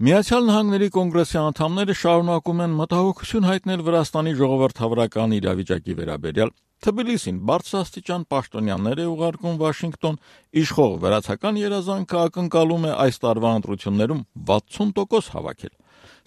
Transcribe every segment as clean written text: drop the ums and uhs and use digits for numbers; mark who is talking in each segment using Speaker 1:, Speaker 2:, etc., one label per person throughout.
Speaker 1: Միացյալ Նահանգների կոնգրեսի անդամները շարունակում են մտահոգություն հայտնել Վրաստանի ժողովրդավարական իրավիճակի վերաբերյալ։ Թբիլիսին բարձրաստիճան պաշտոնյաներ է ուղարկում Վաշինգտոն, իշխող վրացական երազանքը ակնկալում է այս տարվա ընտրություններում 60% հավաքել։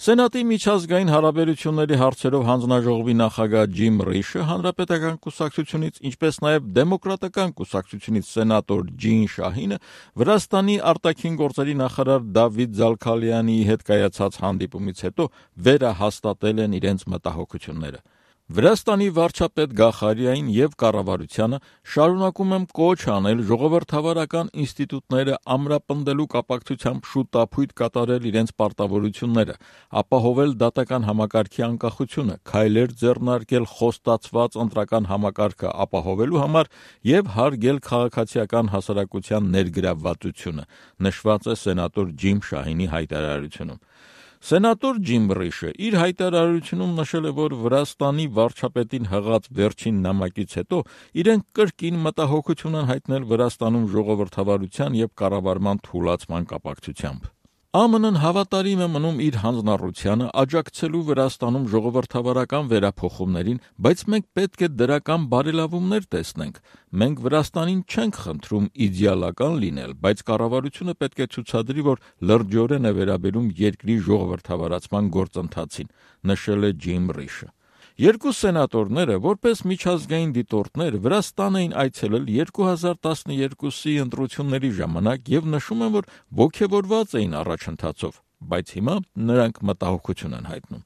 Speaker 1: Սենատի միջազգային հարաբերությունների հարցերով հանձնաժողովի նախագահ Ջիմ Ռիշը հանրապետական կուսակցությունից, ինչպես նաև դեմոկրատական կուսակցությունից սենատոր Ջին Շահինը Վրաստանի արտաքին գործերի նախարար Դավիթ Զալքալյանի հետ կայացած հանդիպումից հետո վերահաստատել են իրենց մտահոգությունները։ Վրաստանի վարչապետ Գախարիային եւ կառավարությանը շարունակում եմ կոչ անել ժողովրդավարական ինստիտուտները ամրապնդելու կապակցությամբ շուտապույտ կատարել իրենց պարտավորությունները, ապահովել դատական համակարգի անկախությունը, քայլեր ձեռնարկել խոստացված ընտրական համակարգը ապահովելու համար եւ հարգել քաղաքացիական հասարակության ներգրավվածությունը, նշված է սենատոր Ջիմ Շահինի հայտարարությունում։ Սենատոր Ջիմ Ռիշը իր հայտարարությունում նշել է, որ Վրաստանի վարչապետին հղած վերջին նամակից հետո իրենք կրկին մտահոգություն են հայտնել Վրաստանում ժողովրդավարության եւ կառավարման թուլացման կապակցությամբ։ ԱՄՆ-ն հավատարիմ է մնում իր հանձնառությանը աջակցելու Վրաստանում ժողովրդավարական վերափոխումներին, բայց մենք պետք է դրական բարելավումներ տեսնենք։ Մենք Վրաստանին չենք խնդրում իդեալական լինել, բայց կառավարությունը պետք է ցուցադրի, որ լրջորեն է վերաբերում երկրի ժողովրդավարացման գործընթացին, նշել է Ջիմ Ռիշը։ Երկու սենատորները, որպես միջազգային դիտորդներ, Վրաստան էին այցելել 2012-ի ընտրությունների ժամանակ եւ նշում են, որ ոգևորված էին առաջընթացով, բայց հիմա նրանք մտահոգություն են հայտնում։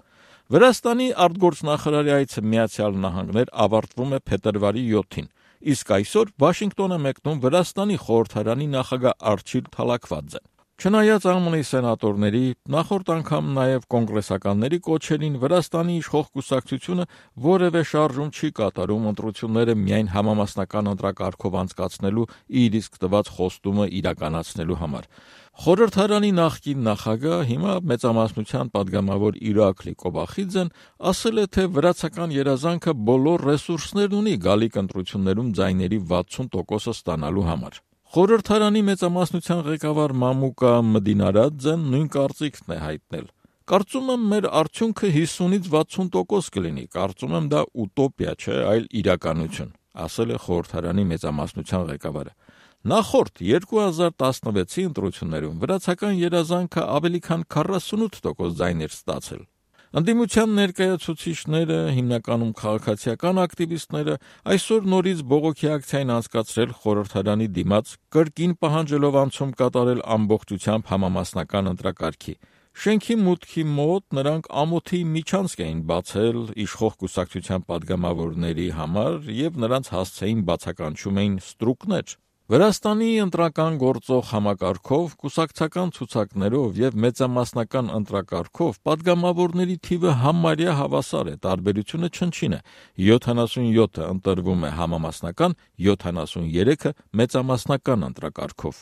Speaker 1: Վրաստանի արտգործնախարարի այցը Միացյալ Նահանգներ ավարտվում է փետրվարի 7-ին, իսկ այսօր Վաշինգտոն է մեկնում Վրաստանի խորհրդարանի նախագահ Արչիլ Թալաքվաձեն։ Չնայած ԱՄՆ-ի սենատորների, նախորդ անգամ նաև կոնգրեսականների կոչերին, Վրաստանի իշխող կուսակցությունը որևէ շարժում չի կատարում ընտրությունները միայն համամասնական ընտրակարգով անցկացնելու իր իսկ տված խոստումը իրականացնելու համար։ Խորհրդարանի նախկին նախագահ, հիմա մեծամասնության падգամավոր Իրաքլի Կոբախիձեն ասել է, թե վրացական երազանքը բոլոր ռեսուրսներն ունի գալիք ընտրություններում ձայների 60%-ը ստանալու համար։ Խորհրդարանի մեծամասնության ղեկավար Մամուկա Մդինարաձեն նույն կարծիքն է հայտնել։ Կարծում եմ, մեր արդյունքը 50-ից 60% կլինի, կարծում եմ դա ուտոպիա չէ, այլ իրականություն, ասել է խորհրդարանի մեծամասնության ղեկավարը։ Նախորդ 2016-ի ընտրություններում վրացական երազանքը ավելի քան 48% ձայներ ստացել։ Ընդդիմության ներկայացուցիչները, հիմնականում քաղաքացիական ակտիվիստները, այսօր նորից բողոքի ակցիա են անցկացրել խորհրդարանի դիմաց, կրկին պահանջելով անցում կատարել ամբողջությամբ համամասնական ընտրակարգի։ Շենքի մուտքի մոտ նրանք ամոթի միջանցք էին բացել իշխող կուսակցության падգամավորների համար եւ նրանց հասցեին բացականչում էին ստրուկներ։ Վրաստանի ընտրական գործող համակարգով, կուսակցական ցուցակներով եւ մեծամասնական ընտրակարգով падգամավորների թիվը համարյա հավասար է, տարբերությունը չնչին է։ 77-ը ընտրվում է համամասնական, 73-ը մեծամասնական ընտրակարգով։